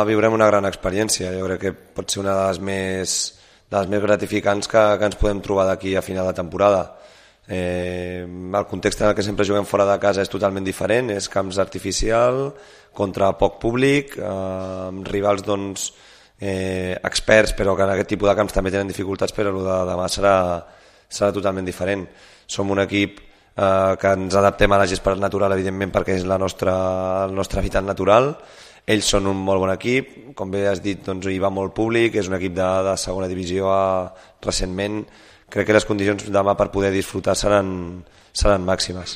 Viurem una gran experiència, jo crec que pot ser una de les més gratificants que ens podem trobar d'aquí a final de temporada. El context en el que sempre juguem fora de casa és totalment diferent, és camps artificial, contra poc públic, amb rivals doncs, experts, però que en aquest tipus de camps també tenen dificultats, però el de demà serà totalment diferent. Som un equip que ens adaptem a la gespa natural, evidentment, perquè és el nostre hàbitat natural. Ells són un molt bon equip, com bé has dit, doncs, hi va molt públic, és un equip de segona divisió recentment. Crec que les condicions demà per poder disfrutar seran màximes.